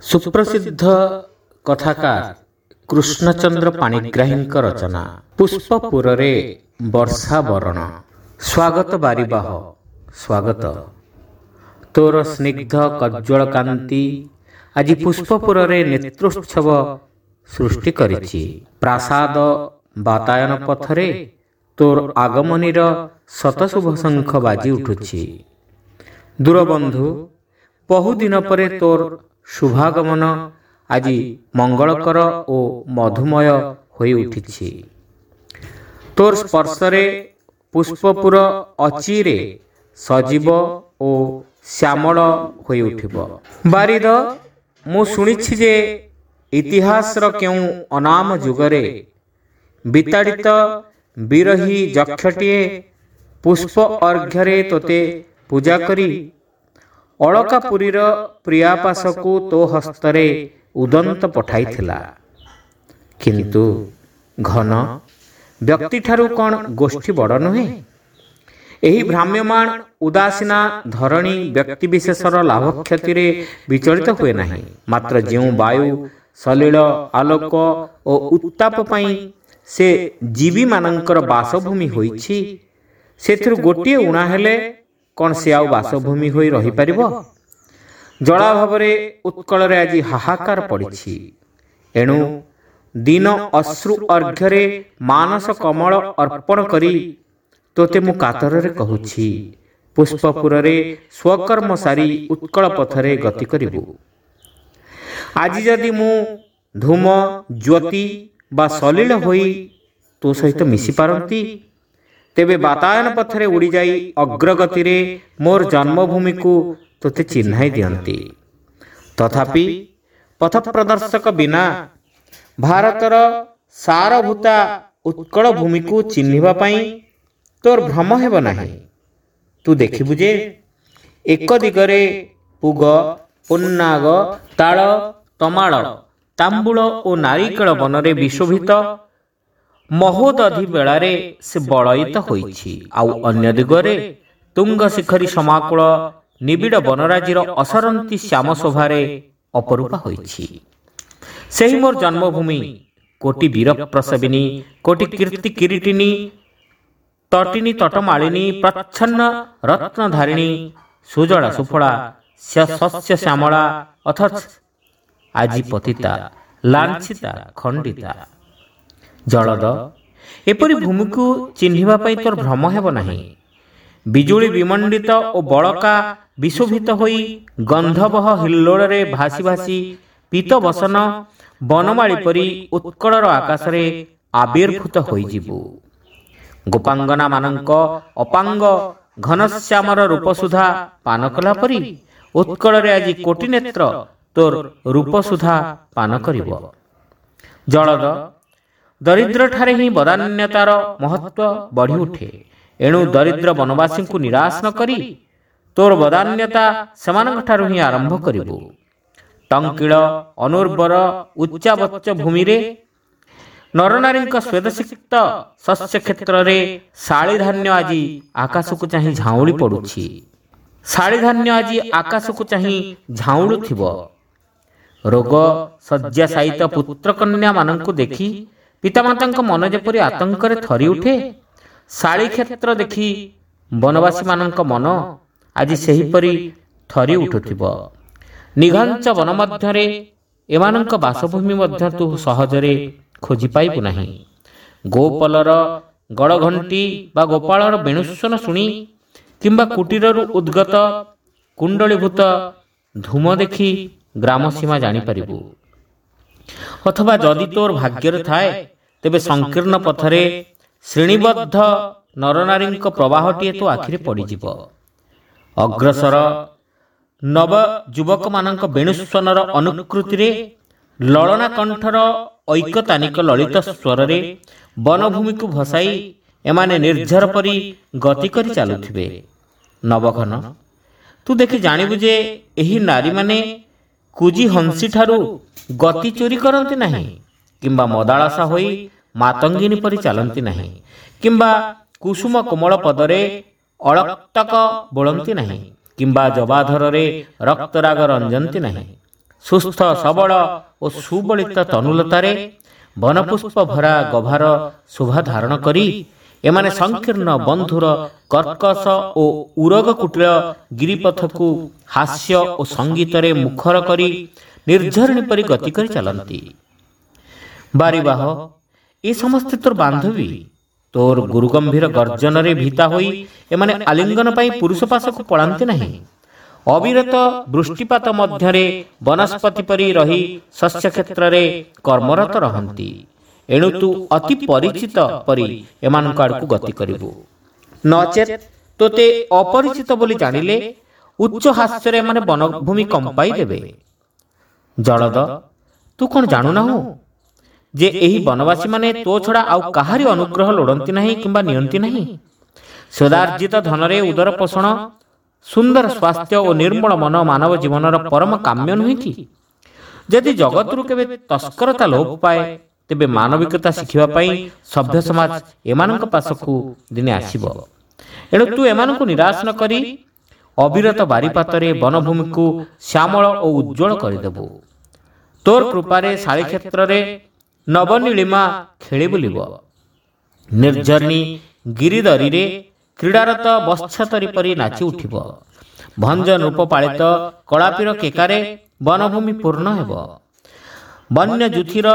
ସୁପ୍ରସିଦ୍ଧ କଥାକାର କୃଷ୍ଣଚନ୍ଦ୍ର ପାଣିଗ୍ରାହୀଙ୍କ ରଚନା ପୁଷ୍ପପୁରରେ ବର୍ଷା ବରଣ। ସ୍ୱାଗତ ବାରିବାହ, ସ୍ୱାଗତ। ତୋର ସ୍ନିଗ୍ଧ କଜ୍ଜ୍ୱଳ କାନ୍ତି ଆଜି ପୁଷ୍ପପୁରରେ ନେତ୍ରୋତ୍ସବ ସୃଷ୍ଟି କରିଛି। ପ୍ରାସାଦ ବାତାୟନ ପଥରେ ତୋର ଆଗମନୀର ଶତଶୁଭ ଶଙ୍ଖ ବାଜି ଉଠୁଛି। ଦୂରବନ୍ଧୁ, ବହୁଦିନ ପରେ ତୋର ଶୁଭାଗମନ ଆଜି ମଙ୍ଗଳକର ଓ ମଧୁମୟ ହୋଇ ଉଠିଛି। ତୋର ସ୍ପର୍ଶରେ ପୁଷ୍ପପୁର ଅଚିରେ ସଜୀବ ଓ ଶ୍ୟାମଳ ହୋଇ ଉଠିବ। ବାରିଦ, ମୁଁ ଶୁଣିଛି ଯେ ଇତିହାସର କେଉଁ ଅନାମ ଯୁଗରେ ବିତାଡ଼ିତ ବିରହୀ ଯକ୍ଷଟିଏ ପୁଷ୍ପ ଅର୍ଘ୍ୟରେ ତୋତେ ପୂଜା କରି ଅଳକାପୁରୀର ପ୍ରିୟାପାଶକୁ ତୋ ହସ୍ତରେ ଉଦନ୍ତ ପଠାଇଥିଲା। କିନ୍ତୁ ଘନ, ବ୍ୟକ୍ତିଠାରୁ କ'ଣ ଗୋଷ୍ଠୀ ବଡ଼ ନୁହେଁ? ଏହି ଭ୍ରାମ୍ୟମାଣ ଉଦାସୀନା ଧରଣୀ ବ୍ୟକ୍ତିବିଶେଷର ଲାଭକ୍ଷତିରେ ବିଚଳିତ ହୁଏ ନାହିଁ। ମାତ୍ର ଯେଉଁ ବାୟୁ, ସଲିଳ, ଆଲୋକ ଓ ଉତ୍ତାପ ପାଇଁ ସେ ଜୀବୀମାନଙ୍କର ବାସଭୂମି ହୋଇଛି, ସେଥିରୁ ଗୋଟିଏ ଊଣା ହେଲେ କ'ଣ ସେ ଆଉ ବାସଭୂମି ହୋଇ ରହିପାରିବ? ଜଳାଭାବରେ ଉତ୍କଳରେ ଆଜି ହାହାକାର ପଡ଼ିଛି। ଏଣୁ ଦୀନ ଅଶ୍ରୁ ଅର୍ଘ୍ୟରେ ମାନସ କମଳ ଅର୍ପଣ କରି ତୋତେ ମୁଁ କାତରରେ କହୁଛି, ପୁଷ୍ପପୁରରେ ସ୍ୱକର୍ମ ସାରି ଉତ୍କଳ ପଥରେ ଗତି କରିବୁ। ଆଜି ଯଦି ମୁଁ ଧୂମ, ଜ୍ୟୋତି ବା ସଲିଳ ହୋଇ ତୋ ସହିତ ମିଶିପାରନ୍ତି, ତେବେ ବାତାୟନ ପଥରେ ଉଡ଼ିଯାଇ ଅଗ୍ରଗତିରେ ମୋର ଜନ୍ମଭୂମିକୁ ତୋତେ ଚିହ୍ନାଇ ଦିଅନ୍ତି। ତଥାପି ପଥପ୍ରଦର୍ଶକ ବିନା ଭାରତର ସାରଭୂତା ଉତ୍କଳ ଭୂମିକୁ ଚିହ୍ନିବା ପାଇଁ ତୋର ଭ୍ରମ ହେବ ନାହିଁ। ତୁ ଦେଖିବୁ ଯେ ଏକ ଦିଗରେ ପୁଗ, ପୁନ୍ନାଗ, ତାଳ, ତମାଳ, ତାମ୍ବୁଳ ଓ ନାରିକେଳ ବନରେ ବିଶୋଭିତ ମହୋଦଧି ବେଳାରେ ସେ ବଳୟିତ ହୋଇଛି, ଆଉ ଅନ୍ୟ ଦିଗରେ ତୁଙ୍ଗ ଶିଖରୀ ସମାକୁଳ ନିବିଡ଼ ବନରାଜିର ଅସରନ୍ତି ଶ୍ୟାମ ଶୋଭାରେ ଅପରୂପା ହୋଇଛି। ସେହି ମୋର ଜନ୍ମଭୂମି, କୋଟି ବୀର ପ୍ରସବିନୀ, କୋଟି କୀର୍ତ୍ତି କିରୀଟିନୀ, ତଟିନୀ ତଟମାଳିନୀ, ପ୍ରଚ୍ଛନ୍ନ ରତ୍ନଧାରିଣୀ, ସୁଜଳା ସୁଫଳା, ଶସ୍ୟ ଶ୍ୟାମଳା, ଅଥଚ ଆଜି ପତିତା, ଲାଞ୍ଛିତା, ଖଣ୍ଡିତା। ଜଳଦ, ଏପରି ଭୂମିକୁ ଚିହ୍ନିବା ପାଇଁ ତୋର ଭ୍ରମ ହେବ ନାହିଁ। ବିଜୁଳି ବିମଣ୍ଡିତ ଓ ବଳକା ବିଶୋଭିତ ହୋଇ ଗନ୍ଧବହ ହିଲ୍ଲୋଳରେ ଭାସି ଭାସି ପୀତବସନ ବନମାଳୀ ପରି ଉତ୍କଳର ଆକାଶରେ ଆବିର୍ଭୂତ ହୋଇଯିବୁ। ଗୋପାଙ୍ଗନାମାନଙ୍କ ଅପାଙ୍ଗ ଘନଶ୍ୟାମର ରୂପସୁଧା ପାନ କଲା ପରି ଉତ୍କଳରେ ଆଜି କୋଟି ନେତ୍ର ତୋର ରୂପସୁଧା ପାନ କରିବ। ଜଳଦ, ଦରିଦ୍ରଠାରେ ହିଁ ବଦାନ୍ୟତାର ମହତ୍ଵ ବଢ଼ି ଉଠେ। ଏଣୁ ଦରିଦ୍ର ବନବାସୀଙ୍କୁ ନିରାଶ ନ କରି ତୋର ବଦାନ୍ୟତା ସେମାନଙ୍କଠାରୁ ହିଁ ଆରମ୍ଭ କରିବୁ। ଟଙ୍କିଳ ଅନୁର୍ବର ଉଚ୍ଚାବଚ୍ଚ ଭୂମିରେ ନରନାରୀଙ୍କ ସ୍ୱେଦସିକ୍ତ ଶସ୍ୟ କ୍ଷେତ୍ରରେ ଶାଳିଧାନ୍ୟ ଆଜି ଆକାଶକୁ ଚାହିଁ ଝାଉଁଳି ପଡୁଛି। ଶାଳିଧାନ୍ୟ ଆଜି ଆକାଶକୁ ଚାହିଁ ଝାଉଁଳୁଥିବ। ରୋଗ ଶଯ୍ୟାଶାୟିତ ପୁତ୍ରକନ୍ୟାମାନଙ୍କୁ ଦେଖି ପିତାମାତାଙ୍କ ମନ ଯେପରି ଆତଙ୍କରେ ଥରି ଉଠେ, ଶାଳି କ୍ଷେତ୍ର ଦେଖି ବନବାସୀମାନଙ୍କ ମନ ଆଜି ସେହିପରି ଥରି ଉଠୁଥିବ। ନିଘଞ୍ଚ ବନ ମଧ୍ୟରେ ଏମାନଙ୍କ ବାସଭୂମି ମଧ୍ୟ ତୁ ସହଜରେ ଖୋଜି ପାଇବୁ ନାହିଁ। ଗୋପଲର ଗଡ଼ଘଣ୍ଟି ବା ଗୋପାଳର ବେଣୁସ୍ୱନ ଶୁଣି କିମ୍ବା କୁଟୀରରୁ ଉଦ୍ଗତ କୁଣ୍ଡଳୀଭୂତ ଧୂମ ଦେଖି ଗ୍ରାମ ସୀମା ଜାଣିପାରିବୁ। ଅଥବା ଯଦି ତୋର ଭାଗ୍ୟରେ ଥାଏ, ତେବେ ସଂକୀର୍ଣ୍ଣ ପଥରେ ଶ୍ରେଣୀବଦ୍ଧ ନରନାରୀଙ୍କ ପ୍ରବାହଟିଏ ତୋ ଆଖିରେ ପଡ଼ିଯିବ। ଅଗ୍ରସର ନବ ଯୁବକମାନଙ୍କ ବେଣୁସ୍ୱନର ଅନୁକୃତିରେ ଲଳନା କଣ୍ଠର ଐକତାନିକ ଲଳିତ ସ୍ୱରରେ ବନଭୂମିକୁ ଭସାଇ ଏମାନେ ନିର୍ଝର ପରି ଗତି କରି ଚାଲୁଥିବେ। ନବଘନ, ତୁ ଦେଖି ଜାଣିବୁ ଯେ ଏହି ନାରୀମାନେ କୁଜି ହଂସୀଠାରୁ ଗତି ଚୋରି କରନ୍ତି ନାହିଁ, କିମ୍ବା ମଦାଳସା ହୋଇ ମାତଙ୍ଗିନୀ ପରି ଚାଲନ୍ତି ନାହିଁ, କିମ୍ବା କୁସୁମ କୋମଳ ପଦରେ ଅଳକ୍ତକ ବୋଳନ୍ତି ନାହିଁ, କିମ୍ବା ଜବାଧରରେ ରକ୍ତରାଗ ରଞ୍ଜନ୍ତି ନାହିଁ। ସୁସ୍ଥ ସବଳ ଓ ସୁବଳିତ ତନୁଲତାରେ ବନପୁଷ୍ପ ଭରା ଗଭାର ଶୋଭା ଧାରଣ କରି ଏମାନେ ସଂକୀର୍ଣ୍ଣ ବନ୍ଧୁର କର୍କଶ ଓ ଉରଗ କୁଟିଳ ଗିରିପଥକୁ ହାସ୍ୟ ଓ ସଙ୍ଗୀତରେ ମୁଖର କରି ନିର୍ଝରଣୀ ପରି ଗତି କରି ଚାଲନ୍ତି। ବାରିବାହ, ଏ ସମସ୍ତେ ତୋର ବାନ୍ଧବୀ। ତୋର ଗୁରୁଗମ୍ଭୀର ଗର୍ଜନରେ ଭୀତା ହୋଇ ଏମାନେ ଆଲିଙ୍ଗନ ପାଇଁ ପୁରୁଷ ପାଶକୁ ପଳାନ୍ତି ନାହିଁ। ଅବିରତ ବୃଷ୍ଟିପାତ ମଧ୍ୟରେ ବନସ୍ପତି ପରି ରହି ଶସ୍ୟ କ୍ଷେତ୍ରରେ କର୍ମରତ ରହନ୍ତି। ଏଣୁ ତୁ ଅତି ପରିଚିତ ପରି ଏମାନଙ୍କ ଆଡ଼କୁ ଗତି କରିବୁ, ନଚେତ୍ ତୋତେ ଅପରିଚିତ ବୋଲି ଜାଣିଲେ ଉଚ୍ଚ ହାସ୍ୟରେ ଏମାନେ ବନଭୂମି କମ୍ପାଇ ଦେବେ। ଜଳଦ, ତୁ କ'ଣ ଜାଣୁନାହୁଁ ଯେ ଏହି ବନବାସୀମାନେ ତୋ ଛଡ଼ା ଆଉ କାହାରି ଅନୁଗ୍ରହ ଲୋଡ଼ନ୍ତି ନାହିଁ କିମ୍ବା ନିଅନ୍ତି ନାହିଁ? ସ୍ୱଦାର୍ଜିତ ଧନରେ ଉଦର ପୋଷଣ, ସୁନ୍ଦର ସ୍ୱାସ୍ଥ୍ୟ ଓ ନିର୍ମଳ ମନ ମାନବ ଜୀବନର ପରମ କାମ୍ୟ ନୁହେଁ କି? ଯଦି ଜଗତରୁ କେବେ ତସ୍କରତା ଲୋପ ପାଏ, ତେବେ ମାନବିକତା ଶିଖିବା ପାଇଁ ସଭ୍ୟ ସମାଜ ଏମାନଙ୍କ ପାଶକୁ ଦିନେ ଆସିବ। ଏଣୁ ତୁ ଏମାନଙ୍କୁ ନିରାଶ ନ କରି ଅବିରତ ବାରିପାତରେ ବନଭୂମିକୁ ଶ୍ୟାମଳ ଓ ଉଜ୍ଜ୍ୱଳ କରିଦେବୁ। ତୋର କୃପାରେ ଶାଳୀକ୍ଷେତ୍ରରେ ନବନୀଳିମା ଖେଳି ବୁଲିବ। ନିର୍ଝରଣୀ ଗିରିଦରୀରେ କ୍ରୀଡ଼ାରତ ବତ୍ସତରୀ ପରି ନାଚି ଉଠିବ। ଭଞ୍ଜ ନୃପ ପାଳିତ କଳାପୀର କେକାରେ ବନଭୂମି ପୂର୍ଣ୍ଣ ହେବ। ବନ୍ୟ ଯୁଥିର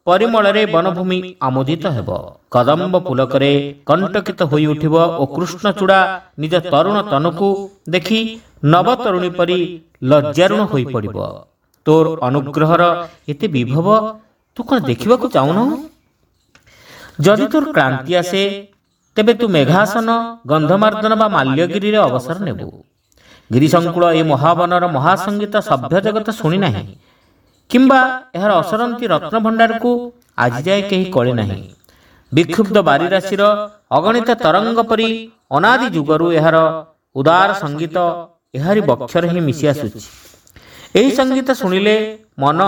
ପରିମଳରେ ବନଭୂମି ଆମୋଦିତ ହେବ। କଦମ୍ବ ପୁଲକରେ କଣ୍ଟକିତ ହୋଇଉଠିବ ଓ କୃଷ୍ଣଚୂଡ଼ା ନିଜ ତରୁଣ ତନୁକୁ ଦେଖି ନବତରୁଣୀ ପରି ଲଜ୍ଜାରୁଣ ହୋଇପଡ଼ିବ। ତୋର ଅନୁଗ୍ରହର ଏତେ ବିଭବ ତୁ କ'ଣ ଦେଖିବାକୁ ଚାହୁଁନାହୁଁ? ଯଦି ତୋର କ୍ଳାନ୍ତି ଆସେ, ତେବେ ତୁ ମେଘାସନ, ଗନ୍ଧମାର୍ଦ୍ଦନ ବା ମାଲ୍ୟଗିରିରେ ଅବସର ନେବୁ। ଗିରିଶଙ୍କୁଳ ଏ ମହାବନର ମହାସଙ୍ଗୀତ ସଭ୍ୟ ଜଗତ ଶୁଣି ନାହିଁ କିମ୍ବା ଏହାର ଅସରନ୍ତି ରତ୍ନଭଣ୍ଡାରକୁ ଆଜିଯାଏ କେହି କଳି ନାହିଁ। ବିକ୍ଷୁବ୍ଧ ବାରିରାଶିର ଅଗଣିତ ତରଙ୍ଗ ପରି ଅନାଦି ଯୁଗରୁ ଏହାର ଉଦାର ସଙ୍ଗୀତ ଏହାରି ବକ୍ଷରେ ହିଁ ମିଶି ଆସୁଛି। ଏହି ସଙ୍ଗୀତ ଶୁଣିଲେ ମନ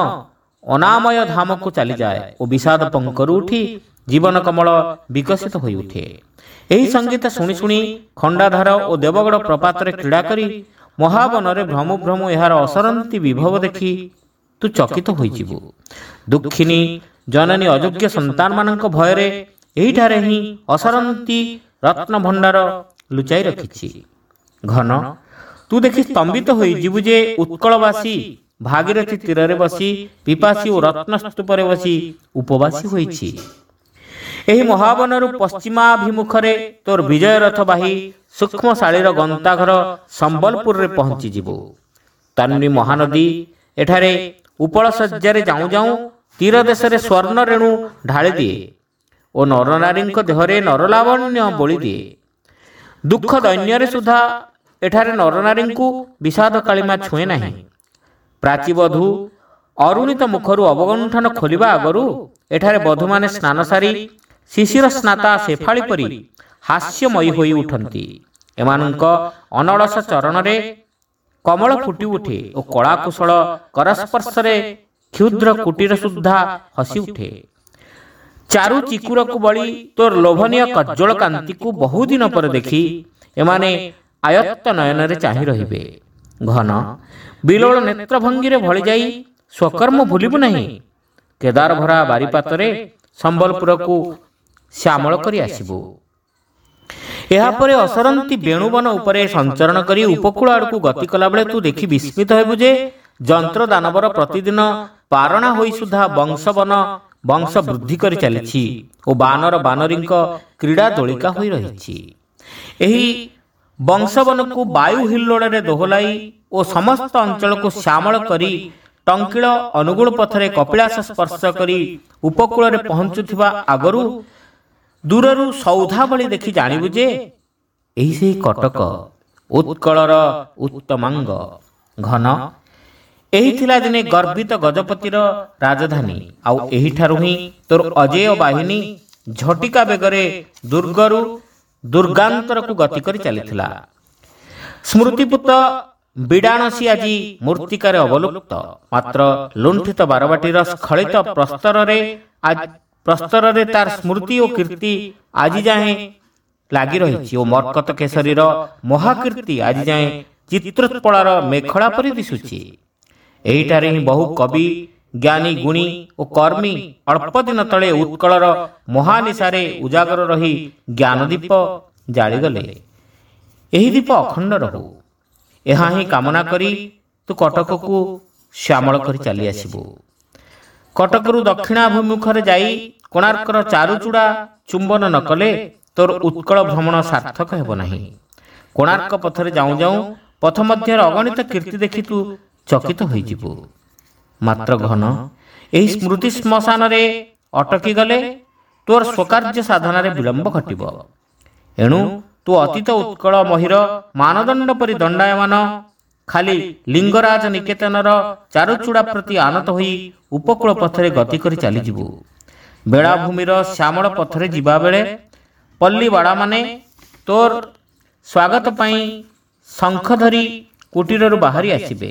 ଅନାମୟ ଧାମକୁ ଚାଲିଯାଏ ଓ ବିଷାଦ ପଙ୍କରୁ ଉଠି ଜୀବନ କମଳ ବିକଶିତ ହୋଇଉଠେ। ଏହି ସଙ୍ଗୀତ ଶୁଣି ଶୁଣି ଖଣ୍ଡାଧାର ଓ ଦେବଗଡ଼ ପ୍ରପାତରେ କ୍ରୀଡ଼ା କରି ମହାବନରେ ଭ୍ରମୁ ଭ୍ରମୁ ଏହାର ଅସରନ୍ତି ବିଭବ ଦେଖି ତୁ ଚକିତ ହୋଇଯିବୁ। ଦୁଃଖିନୀ ଜନନୀ ଅଯୋଗ୍ୟ ସନ୍ତାନମାନଙ୍କ ଭୟରେ ଏହିଠାରେ ହିଁ ଅସରନ୍ତି ରତ୍ନଭଣ୍ଡାର ଲୁଚାଇ ରଖିଛି। ଘନ, ତୁ ଦେଖି ସ୍ତମ୍ଭିତ ହୋଇଯିବୁ ଯେ ଉତ୍କଳବାସୀ ଭାଗୀରଥୀ ତୀରରେ ବସି ପିପାସୀ ଓ ରତ୍ନସ୍ତୂପରେ ବସି ଉପବାସୀ ହୋଇଛି। ଏହି ମହାବନରୁ ପଶ୍ଚିମାଭିମୁଖରେ ତୋର ବିଜୟ ରଥ ବାହି ସୂକ୍ଷ୍ମଶାଳୀର ଗନ୍ତାଘର ସମ୍ବଲପୁରରେ ପହଞ୍ଚିଯିବୁ। ତନ୍ୱୀ ମହାନଦୀ ଏଠାରେ ଉପଳ ଶଯ୍ୟାରେ ଯାଉଁ ଯାଉଁ ତୀର ଦେଶରେ ସ୍ୱର୍ଣ୍ଣ ରେଣୁ ଢାଳିଦିଏ ଓ ନରନାରୀଙ୍କ ଦେହରେ ନରଲାବଣ୍ୟ ବୋଳିଦିଏ। ଦୁଃଖ ଦୈନ୍ୟରେ ସୁଦ୍ଧା ଏଠାରେ ନରନାରୀଙ୍କୁ ବିଷାଦ କାଳିମା ଛୁଏଁ ନାହିଁ। ପ୍ରାଚୀବଧୂ ଅରୁଣିତ ମୁଖରୁ ଅବଗଣ୍ଠନ ଖୋଲିବା ଆଗରୁ ଏଠାରେ ବଧୂମାନେ ସ୍ନାନ ସାରି ଶିଶିର ସ୍ନାତା ଶେଫାଳି ପରି ହାସ୍ୟମୟୀ ହୋଇ ଉଠନ୍ତି। ଏମାନଙ୍କ ଅନଳସ ଚରଣରେ କମଳ ଫୁଟି ଉଠେ ଓ କଳାକୁଶଳ କରସ୍ପର୍ଶରେ କ୍ଷୁଦ୍ର କୁଟୀର ସୁଦ୍ଧା ହସି ଉଠେ। ଚାରୁ ଚିକୁରକୁ ବଳି ତୋର ଲୋଭନୀୟ କଜ୍ଜଳ କାନ୍ତିକୁ ବହୁଦିନ ପରେ ଦେଖି ଏମାନେ ଆୟତ୍ତ ନୟନରେ ଚାହିଁ ରହିବେ। ଘନ ବିଲୋଳ ନେତ୍ରଭଙ୍ଗୀରେ ଭଳିଯାଇ ସ୍ୱକର୍ମ ଭୁଲିବୁ ନାହିଁ। କେଦାର ଭରା ବାରିପାତରେ ସମ୍ବଲପୁରକୁ ଶ୍ୟାମଳ କରି ଆସିବୁ। ଏହାପରେ ଅସରନ୍ତି ବେଣୁବନ ଉପରେ ସଞ୍ଚରଣ କରି ଉପକୂଳ ଆଡ଼କୁ ଗତି କଲାବେଳେ ତୁ ଦେଖି ବିସ୍ମିତ ହେବୁ ଯେ ଯନ୍ତ୍ର ଦାନବର ପ୍ରତିଦିନ ପାରଣା ହୋଇ ସୁଦ୍ଧା ବଂଶବନ ବଂଶ ବୃଦ୍ଧି କରି ଚାଲିଛି ଓ ବାନର ବାନରୀଙ୍କ କ୍ରୀଡ଼ା ଦୋଳିକା ହୋଇ ରହିଛି। ଏହି ବଂଶବନକୁ ବାୟୁ ହିଲ୍ଲୋଳରେ ଦୋହଲାଇ ଓ ସମସ୍ତ ଅଞ୍ଚଳକୁ ଶ୍ୟାମଳ କରି ଟଙ୍କିଳ ଅନୁଗୁଳ ପଥରେ କପିଳାସ ସ୍ପର୍ଶ କରି ଉପକୂଳରେ ପହଞ୍ଚୁଥିବା ଆଗରୁ ଦୂରରୁ ସୌଧା ଭଳି ଦେଖି ଜାଣିବୁ ଯେ ଏହି ସେହି କଟକ, ଉତ୍କଳର ଉତ୍ତମାଙ୍ଗ। ଘନ, ଏହି ଥିଲା ଦିନେ ଗର୍ବିତ ଗଜପତିର ରାଜଧାନୀ। ଆଉ ଏହିଠାରୁ ହିଁ ତୋର ଅଜେୟ ବାହିନୀ ଝଟିକା ବେଗରେ ଦୁର୍ଗରୁ ଦୁର୍ଗାନ୍ତରକୁ ଗତି କରି ଚାଲିଥିଲା। ସ୍ମୃତିପୁତ ବିଡ଼ାଣସୀ ଆଜି ମୂର୍ତ୍ତିକାରେ ଅବଲୁପ୍ତ। ମାତ୍ର ଲୁଣ୍ଠିତ ବାରବାଟୀର ସ୍ଖଳିତ ପ୍ରସ୍ତରରେ ତାର ସ୍ମୃତି ଓ କୀର୍ତ୍ତି ଆଜି ଯାଏଁ ଲାଗି ରହିଛି ଓ ମର୍କତ କେଶରୀର ମହାକୀର୍ତ୍ତି ଆଜି ଯାଏଁ ଚିତ୍ରୋତ୍ପଳାର ମେଖଳା ପରି ଦିଶୁଛି। ଏହିଠାରେ ହିଁ ବହୁ କବି, ଜ୍ଞାନୀ, ଗୁଣୀ ଓ କର୍ମୀ ଅଳ୍ପ ଦିନ ତଳେ ଉତ୍କଳର ମହାନିଶାରେ ଉଜାଗର ରହି ଜ୍ଞାନଦୀପ ଜାଳିଗଲେ। ଏହି ଦୀପ ଅଖଣ୍ଡ ରହୁ, ଏହା ହିଁ କାମନା କରି ତୁ କଟକକୁ ଶ୍ୟାମଳ କରି ଚାଲି ଆସିବୁ। କଟକରୁ ଦକ୍ଷିଣାଭିମୁଖରେ ଯାଇ କୋଣାର୍କର ଚାରୁଚୂଡ଼ା ଚୁମ୍ବନ ନ କଲେ ତୋର ଉତ୍କଳ ଭ୍ରମଣ ସାର୍ଥକ ହେବ ନାହିଁ। କୋଣାର୍କ ପଥରେ ଯାଉଁ ଯାଉଁ ପଥ ମଧ୍ୟରେ ଅଗଣିତ କୀର୍ତ୍ତି ଦେଖି ତୁ ଚକିତ ହୋଇଯିବୁ। ମାତ୍ର ଘନ, ଏହି ସ୍ମୃତି ଶ୍ମଶାନରେ ଅଟକି ଗଲେ ତୋର ସ୍ୱକାର୍ଯ୍ୟ ସାଧନାରେ ବିଳମ୍ବ ଘଟିବ। ଏଣୁ ତୁ ଅତୀତ ଉତ୍କଳ ମହିର ମାନଦଣ୍ଡ ପରି ଦଣ୍ଡାୟମାନ ଖାଲି ଲିଙ୍ଗରାଜ ନିକେତନର ଚାରୁଚୂଡ଼ା ପ୍ରତି ଆନତ ହୋଇ ଉପକୂଳ ପଥରେ ଗତି କରି ଚାଲିଯିବୁ। ବେଳାଭୂମିର ଶ୍ୟାମଳ ପଥରେ ଯିବାବେଳେ ପଲ୍ଲୀବାଡ଼ାମାନେ ତୋର ସ୍ୱାଗତ ପାଇଁ ଶଙ୍ଖ ଧରି କୁଟୀରରୁ ବାହାରି ଆସିବେ।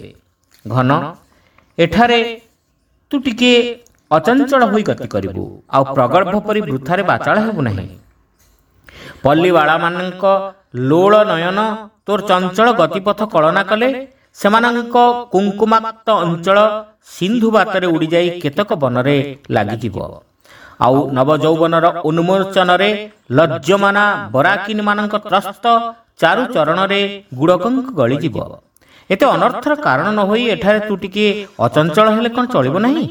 ଘନ, ଏଠାରେ ତୁ ଟିକିଏ ଅଚଞ୍ଚଳ ହୋଇ ଗତି କରିବୁ, ଆଉ ପ୍ରଗଳ୍ଭ ପରି ବୃଥାରେ ବାଚାଳ ହେବୁ ନାହିଁ। ପଲ୍ଲୀବାଳାମାନଙ୍କ ଲୋଳ ନୟନ ତୋର ଚଞ୍ଚଳ ଗତିପଥ କଳନା କଲେ ସେମାନଙ୍କ କୁଙ୍କୁମାକ୍ତ ଅଞ୍ଚଳ ସିନ୍ଧୁ ବାତରେ ଉଡ଼ିଯାଇ କେତକ ବନରେ ଲାଗିଯିବ। ଆଉ ନବଯୌବନର ଉନ୍ମୋଚନରେ ଲଜ୍ଜମାନା ବରାକିନୀମାନଙ୍କ ତ୍ରସ୍ତ ଚାରୁଚରଣରେ ଗୁଡ଼କଙ୍କ ଗଳିଯିବ। ଏତେ ଅନର୍ଥର କାରଣ ନ ହୋଇ ଏଠାରେ ତୁ ଟିକିଏ ଅଚଞ୍ଚଳ ହେଲେ କ'ଣ ଚଳିବ ନାହିଁ?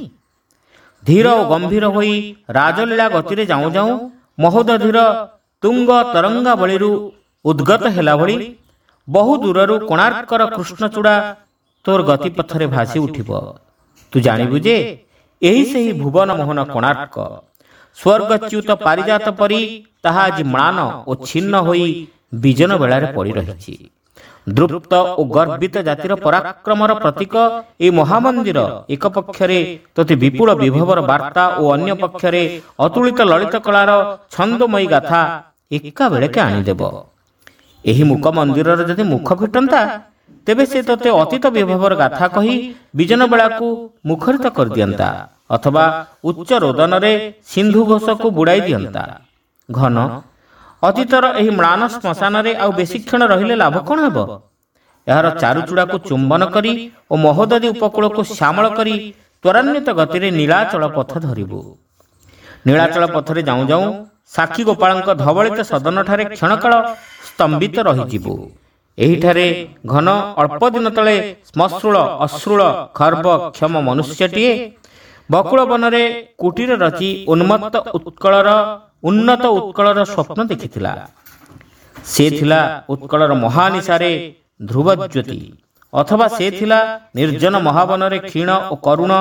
ଧୀର ଓ ଗମ୍ଭୀର ହୋଇ ରାଜଲୀଳା ଗତିରେ ଯାଉଁ ଯାଉଁ ମହୋଦଧିର ତୁଙ୍ଗ ତରଙ୍ଗାବଳୀରୁ ଉଦ୍ଗତ ହେଲା ଭଳି ବହୁ ଦୂରରୁ କୋଣାର୍କର କୃଷ୍ଣଚୂଡ଼ା ତୋର ଗତିପଥରେ ଭାସି ଉଠିବ। ତୁ ଜାଣିବୁ ଯେ ଏହି ସେହି ଭୁବନ ମୋହନ କୋଣାର୍କ। ସ୍ୱର୍ଗଚ୍ୟୁତ ପାରିଜାତ ପରି ତାହା ଆଜି ମ୍ଳାନ ଓ ଛିନ୍ନ ହୋଇ ବିଜନ ବେଳାରେ ପଡ଼ି ରହିଛି। ଦୃପ୍ତ ଓ ଗର୍ବିତ ଜାତିର ପରାକ୍ରମର ପ୍ରତୀକ ଏହି ମହାମନ୍ଦିର ଏକ ପକ୍ଷରେ ତୋତେ ବିପୁଳ ବିଭବର ବାର୍ତ୍ତା ଓ ଅନ୍ୟ ପକ୍ଷରେ ଅତୁଳିତ ଲଳିତ କଳାର ଛନ୍ଦମୟୀ ଗାଥା ଏକାବେଳେକେ ଆଣିଦେବ। ଏହି ମୁକ ମନ୍ଦିରର ଯଦି ମୁଖ ଫିଟନ୍ତା, ତେବେ ସେ ତୋତେ ଅତୀତ ବିଭବର ଗାଥା କହି ବିଜନ ବେଳାକୁ ମୁଖରିତ କରିଦିଅନ୍ତା, ଅଥବା ଉଚ୍ଚ ରୋଦନରେ ସିନ୍ଧୁ ଘୋଷକୁ ବୁଡ଼ାଇ ଦିଅନ୍ତା। ଘନ, ଅତୀତର ଏହି ମ୍ଳାନ ଶ୍ମଶାନରେ ଆଉ ବେଶୀ କ୍ଷଣ ରହିଲେ ଲାଭ କ'ଣ ହେବ? ଏହାର ଚାରୁଚୂଡ଼ାକୁ ଚୁମ୍ବନ କରି ଓ ମହୋଦଧି ଉପକୂଳକୁ ଶ୍ୟାମଳ କରି ତ୍ୱରାନ୍ୱିତ ଗତିରେ ନୀଳାଚଳ ପଥ ଧରିବୁ। ନୀଳାଚଳ ପଥରେ ଯାଉଁ ଯାଉଁ ସାକ୍ଷୀ ଗୋପାଳଙ୍କ ଧବଳିତ ସଦନଠାରେ କ୍ଷଣକାଳ ସ୍ତମ୍ଭିତ ରହିଯିବୁ। ଏହିଠାରେ ଘନ ଅଳ୍ପ ଦିନ ତଳେ ଶ୍ମଶ୍ରୁଳ ଅଶ୍ରୁଳ ଖର୍ବ କ୍ଷମ ମନୁଷ୍ୟଟିଏ ବକୁଳ ବନରେ କୁଟୀର ରଚି ଉନ୍ମତ୍ତ ଉତ୍କଳର ଉନ୍ନତ ଉତ୍କଳର ସ୍ୱପ୍ନ ଦେଖିଥିଲା। ସେ ଥିଲା ଉତ୍କଳର ମହାନିଶାରେ ଧ୍ରୁବଜ୍ୟୋତି, ଅଥବା ସେ ଥିଲା ନିର୍ଜନ ମହାବନରେ କ୍ଷୀଣ ଓ କରୁଣ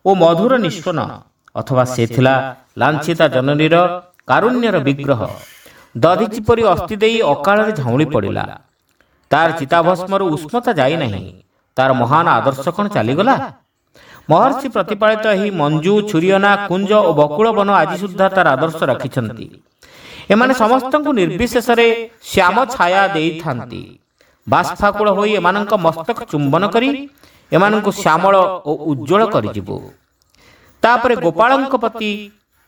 ଓ ମଧୁର ନିସ୍ୱନ, ଅଥବା ସେ ଥିଲା ଲାଞ୍ଛିତା ଜନନୀର କାରୁଣ୍ୟର ବିଗ୍ରହ। ଦଧିଚି ପରି ଅସ୍ଥି ଦେଇ ଅକାଳରେ ଝାଉଁଳି ପଡ଼ିଲା। ତାର ଚିତାଭସ୍ମରୁ ଉଷ୍ମତା ଯାଇନାହିଁ। ତାର ମହାନ ଆଦର୍ଶ କ'ଣ ଚାଲିଗଲା? ମହର୍ଷି ପ୍ରତିପାଳିତ ଏହି ମଞ୍ଜୁ, ଛୁରିଅନା, କୁଞ୍ଜ ଓ ବକୁଳ ବନ ଆଜି ସୁଦ୍ଧା ତାର ଆଦର୍ଶ ରଖିଛନ୍ତି। ଏମାନେ ସମସ୍ତଙ୍କୁ ନିର୍ବିଶେଷରେ ଶ୍ୟାମ ଛାୟା ଦେଇଥାନ୍ତି। ବାଷ୍ପାକୁଳ ହୋଇ ଏମାନଙ୍କ ମସ୍ତକ ଚୁମ୍ବନ କରି ଏମାନଙ୍କୁ ଶ୍ୟାମଳ ଓ ଉଜ୍ଜ୍ୱଳ କରିଯିବୁ। ତାପରେ ଗୋପାଳଙ୍କ ପ୍ରତି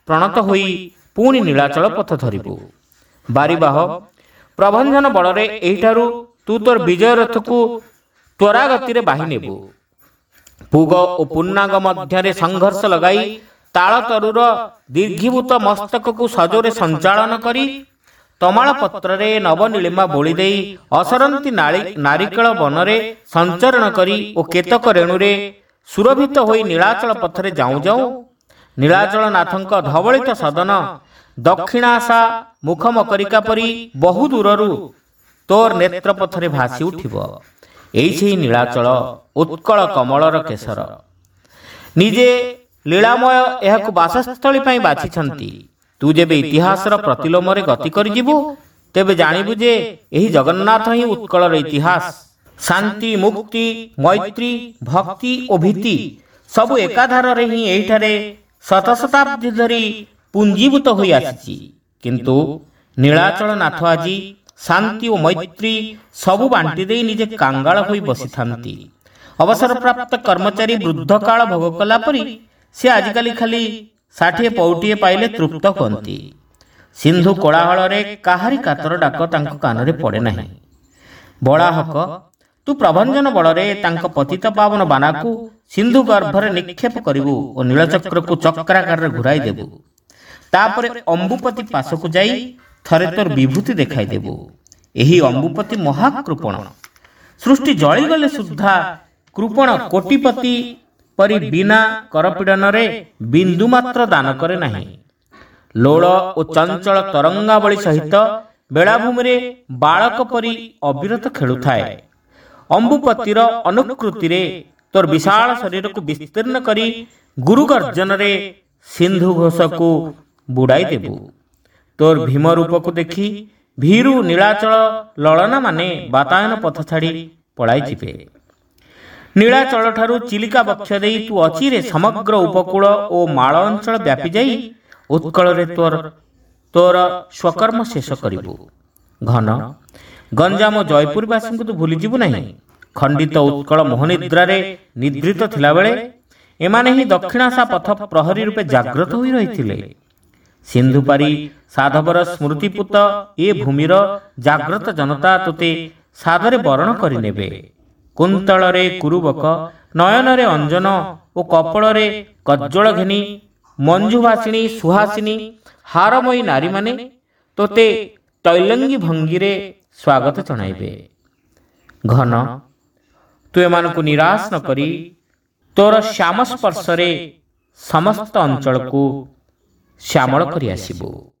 ପ୍ରଣତ ହୋଇ ପୁଣି ନୀଳାଚଳ ପଥ ଧରିବୁ। ବାରିବାହ ପ୍ରଭଞ୍ଜନ ବଳରେ ଏହିଠାରୁ ତୁ ତୋର ବିଜୟ ରଥକୁ ତ୍ୱରାଗତିରେ ବାହି ନେବୁ। ପୁଗ ଓ ପୂର୍ଣ୍ଣାଙ୍ଗ ମଧ୍ୟରେ ସଂଘର୍ଷ ଲଗାଇ ତାଳତରୁର ଦୀର୍ଘୀଭୂତ ମସ୍ତକକୁ ସଜୋରେ ସଞ୍ଚାଳନ କରି ତମାଳ ପତ୍ରରେ ନବନୀଳିମା ବୋଳି ଦେଇ ଅସରନ୍ତି ନାରିକେଳ ବନରେ ସଞ୍ଚରଣ କରି ଓ କେତକ ରେଣୁରେ ସୁରଭିତ ହୋଇ ନୀଳାଚଳ ପଥରେ ଯାଉଁ ଯାଉଁ ନୀଳାଚଳ ନାଥଙ୍କ ଧବଳିତ ସଦନ ଦକ୍ଷିଣାଶା ମୁଖମକରିକା ପରି ବହୁ ଦୂରରୁ ତୋର ନେତ୍ର ପଥରେ ଭାସି ଉଠିବ। ଏଇ ସେହି ନୀଳାଚଳ ଉତ୍କଳ କମଳର କେଶର। ନିଜେ ଲୀଳାମୟ ଏହାକୁ ବାସସ୍ଥଳୀ ପାଇଁ ବାଛିଛନ୍ତି। ତୁ ଯେବେ ଇତିହାସର ପ୍ରତିଲୋମରେ ଗତି କରିଯିବୁ, ତେବେ ଜାଣିବୁ ଯେ ଏହି ଜଗନ୍ନାଥ ହିଁ ଉତ୍କଳର ଇତିହାସ। ଶାନ୍ତି, ମୁକ୍ତି, ମୈତ୍ରୀ, ଭକ୍ତି ଓ ଭୀତି ସବୁ ଏକାଧାରରେ ହିଁ ଏହିଠାରେ ଶତଶତାବ୍ଦୀ ଧରି ପୁଞ୍ଜୀଭୂତ ହୋଇ ଆସିଛି। କିନ୍ତୁ ନୀଳାଚଳ ନାଥ ଆଜି ଶାନ୍ତି ଓ ମୈତ୍ରୀ ସବୁ ବାଣ୍ଟି ଦେଇ ନିଜେ କାଙ୍ଗାଳ ହୋଇ ବସିଥାନ୍ତି। ଅବସରପ୍ରାପ୍ତ କର୍ମଚାରୀ ବୃଦ୍ଧକାଳ ଭୋଗ କଲା ପରି ସେ ଆଜିକାଲି ଖାଲି 60 ପଉଟିଏ ପାଇଲେ ତୃପ୍ତ ହୁଅନ୍ତି। ସିନ୍ଧୁ କୋଳାହଳରେ କାହାରି କାତର ଡାକ ତାଙ୍କ କାନରେ ପଡ଼େ ନାହିଁ। ବଳାହକ, ତୁ ପ୍ରଭଞ୍ଜନ ବଳରେ ତାଙ୍କ ପତିତ ପାବନ ବାନାକୁ ସିନ୍ଧୁ ଗର୍ଭରେ ନିକ୍ଷେପ କରିବୁ ଓ ନୀଳଚକ୍ରକୁ ଚକ୍ରାକାରରେ ଘୁରାଇ ଦେବୁ। ତାପରେ ଅମ୍ବୁପତି ପାଶକୁ ଯାଇ ଥରେ ତୋର ବିଭୂତି ଦେଖାଇଦେବୁ। ଏହି ଅମ୍ବୁପତି ମହାକୃପଣ। ସୃଷ୍ଟି ଜଳିଗଲେ ସୁଦ୍ଧା କୃପଣ କୋଟିପତି ପରି ବିନା କରପୀଡ଼ନରେ ବିନ୍ଦୁ ମାତ୍ର ଦାନ କରେ ନାହିଁ। ଲୋଳ ଓ ଚଞ୍ଚଳ ତରଙ୍ଗାବଳୀ ସହିତ ବେଳାଭୂମିରେ ବାଳକ ପରି ଅବିରତ ଖେଳୁଥାଏ। ଅମ୍ବୁପତିର ଅନୁକୃତିରେ ତୋର ବିଶାଳ ଶରୀରକୁ ବିସ୍ତୀର୍ଣ୍ଣ କରି ଗୁରୁ ଗର୍ଜନରେ ସିନ୍ଧୁ ଘୋଷକୁ ବୁଡ଼ାଇ ଦେବୁ। ତୋର ଭୀମ ରୂପକୁ ଦେଖି ଭୀରୁ ନୀଳାଚଳ ଲଳନାମାନେ ବାତାୟନ ପଥ ଛାଡ଼ି ପଳାଇଯିବେ। ନୀଳାଚଳଠାରୁ ଚିଲିକା ବକ୍ଷ ଦେଇ ତୁ ଅଚିରେ ସମଗ୍ର ଉପକୂଳ ଓ ମାଳ ଅଞ୍ଚଳ ବ୍ୟାପି ଯାଇ ଉତ୍କଳରେ ତୋର ସ୍ୱକର୍ମ ଶେଷ କରିବୁ। ଘନ ଗଞ୍ଜାମ ଓ ଜୟପୁରବାସୀଙ୍କୁ ତୁ ଭୁଲିଯିବୁ ନାହିଁ। ଖଣ୍ଡିତ ଉତ୍କଳ ମୋହନିଦ୍ରାରେ ନିଦ୍ରିତ ଥିଲାବେଳେ ଏମାନେ ହିଁ ଦକ୍ଷିଣାଶା ପଥ ପ୍ରହରୀ ରୂପେ ଜାଗ୍ରତ ହୋଇ ରହିଥିଲେ। ସିନ୍ଧୁପାରି ସାଧବର ସ୍ମୃତିପୁତ ଏ ଭୂମିର ଜାଗ୍ରତ ଜନତା ତୋତେ ସାଦରେ ବରଣ କରିନେବେ। କୁନ୍ତଳରେ କୁରୁବକ, ନୟନରେ ଅଞ୍ଜନ ଓ କପଳରେ କଜ୍ଜଳ ଘେନି ମଞ୍ଜୁଭାସିଣୀ ସୁହାସିନୀ ହାରମୟୀ ନାରୀମାନେ ତୋତେ ତୈଲଙ୍ଗୀ ଭଙ୍ଗୀରେ ସ୍ୱାଗତ ଜଣାଇବେ। ଘନ, ତୁ ଏମାନଙ୍କୁ ନିରାଶ ନ କରି ତୋର ଶ୍ୟାମ ସ୍ପର୍ଶରେ ସମସ୍ତ ଅଞ୍ଚଳକୁ ଶ୍ୟାମଳ କରି ଆସିବୁ।